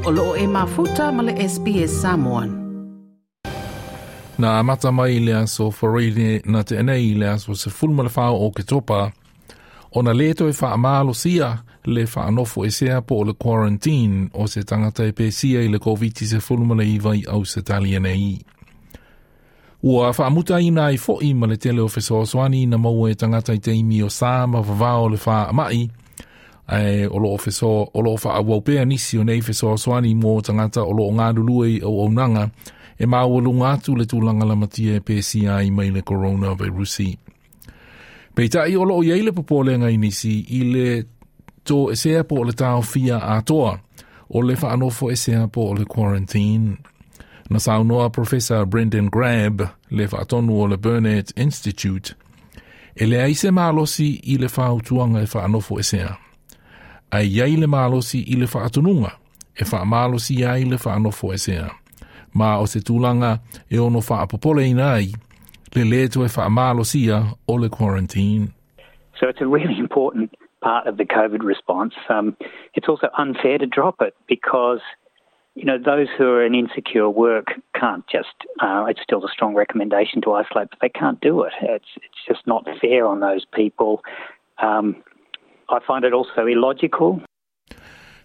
O loo e mafuta ma le SBS Samoan. Na amata mai i le aso Faraile na tea nei i le aso 14 o Oketopa, ona lē toe faamalosia le faanofoesea po o le quarantine o se tagata e pesia i le Koviti-19 i Ausetalia nei. Ua faamutaina ai fo'i ma le tele o fesoasoani na maua e tagata i taimi o sa ma vavao o le faama'i, ae o loo feso o loo faaauau pea nisi o nei fesoasoani mo tagata o loo galulue i auaunaga e maualuga atu le tulaga lamatia e pesia ai mai le coronavirusi. Peitai o loo i ai le popolega i nisi i le toesea po o le taofia atoa o le faanofoesea po o le quarantine. Na saunoa Professor Brendan Grab, le faatonu o le Burnet Institute, e leai se malosi i le fautuaga e faanofoesea. Ae i ai le malosi i le faatonuga e faamalosia ai le faanofoesea. Ma o se tulaga e ono faapopoleina ai le lē toe faamalosia o le quarantine. So it's a really important part of the COVID response. It's also unfair to drop it because those who are in insecure work can't just, it's still a strong recommendation to isolate, but they can't do it. It's just not fair on those people. I find it also illogical.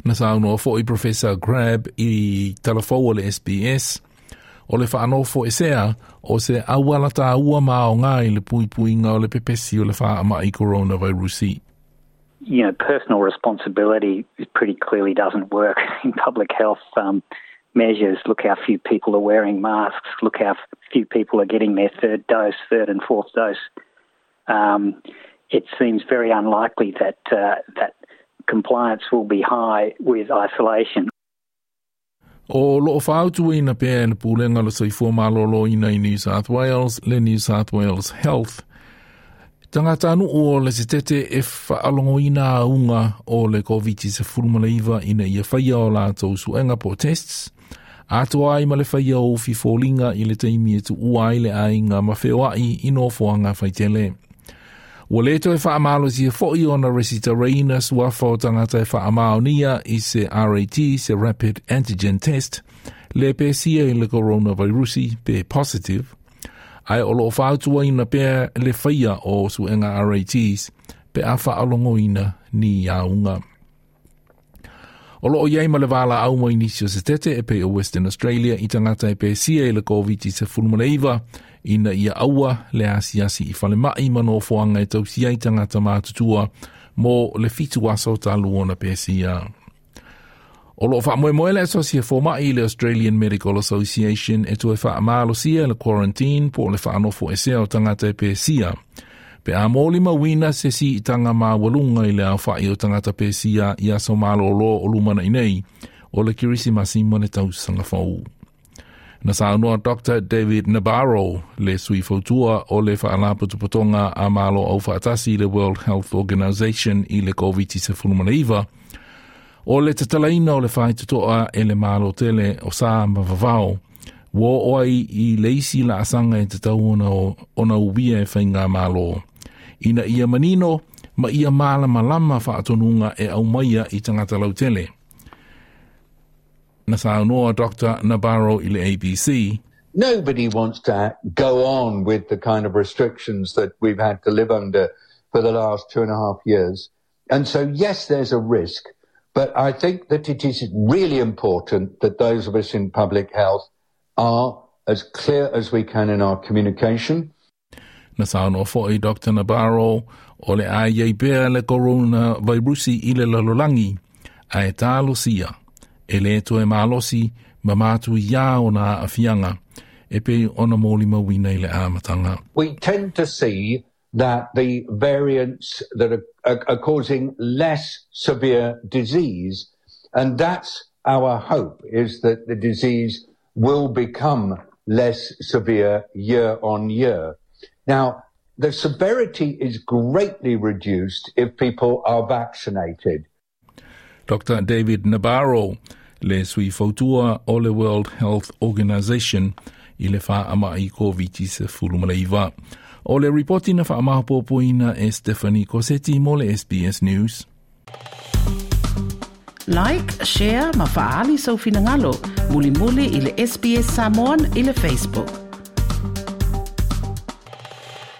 Na saunoa fo'i Professor Grab i talafou o le SBS, o le faanofoesea o se auala tāua ma aoga i le puipuiga o le pepesi o le faama'i coronavirusi. Personal responsibility pretty clearly doesn't work in public health measures. Look how few people are wearing masks. Look how few people are getting their third dose, third and fourth dose. It seems very unlikely that that compliance will be high with isolation. O loo fautuaina pea e le Pulega o le Soifua Maloloina i New South Wales le New South Wales Health tagatanuu o le setete e faalogoina auga o le Koviti-19 ina ia faia o latou suega po o tests, atoa ai ma le faia o ufi foliga i le taimi e tuua ai le aiga ma feoai i nofoaga faitele. Ua lē toe faamalosia fo'i ona resitaraina suafa o tagata e faamaonia i se RAT, se Rapid Antigen Test, le pesia i le coronavirusi pe positive, ae o loo fautuaina pea le faia o suega RATs pe a faalogoina ni auga. O loo i ai ma le valaau mai nisi o setete e pei o Western Australia i tagata e pesia i le Koviti-19 ina ia aua le asiasi i falemai ma nofoaga e tausia ai tagata matutua mo le 7 aso talu ona pesia. O loo faamoemoe le Asosi a Foma'i le Australian Medical Association e toe faamalosia le quarantine po o le faanofoesea o tagata e pesia. Pe a molimauina se siitaga maualuga i le aofa'i o tagata pesia i aso malōlō o lumana'i nei o le Kerisimasi ma le tausaga fou. Na saunoa Dr. David Nabarro, le sui fautua o le Faalapotopotoga a Malo Aufaatasi le World Health Organization i le Koviti-19, o le tatalaina o le faitotoa e le Malo tele o sa ma vavao, ua oo ai i le isi laasaga e tatau ona uia e faigamalo. Ina ia manino ma ia malamalama faatonuga e aumaia i tagata lautele. Na saunoa Dr. Nabarro i le ABC. Nobody wants to go on with the kind of restrictions that we've had to live under for the last 2.5 years. And so, yes, there's a risk, but I think that it is really important that those of us in public health are as clear as we can in our communication. Na saunoa fo'i Dr. Nabarro o le a i ai pea le coronavirusi i le lalolagi, ae talosia e lē toe malosi ma matuiā ona aafiaga e pei ona molimauina i le amataga. We tend to see that the variants that are causing less severe disease, and that's our hope, is that the disease will become less severe year on year. Now, the severity is greatly reduced if people are vaccinated. Dr. David Nabarro, le sui fautua o le World Health Organization i le faama'i Koviti-19. O le ripoti na faamaopoopoina e Stephanie Cosetti mo le SBS News. Like, share ma fa'aali sou finagalo. Mulimuli i le SBS Samoan i le Facebook.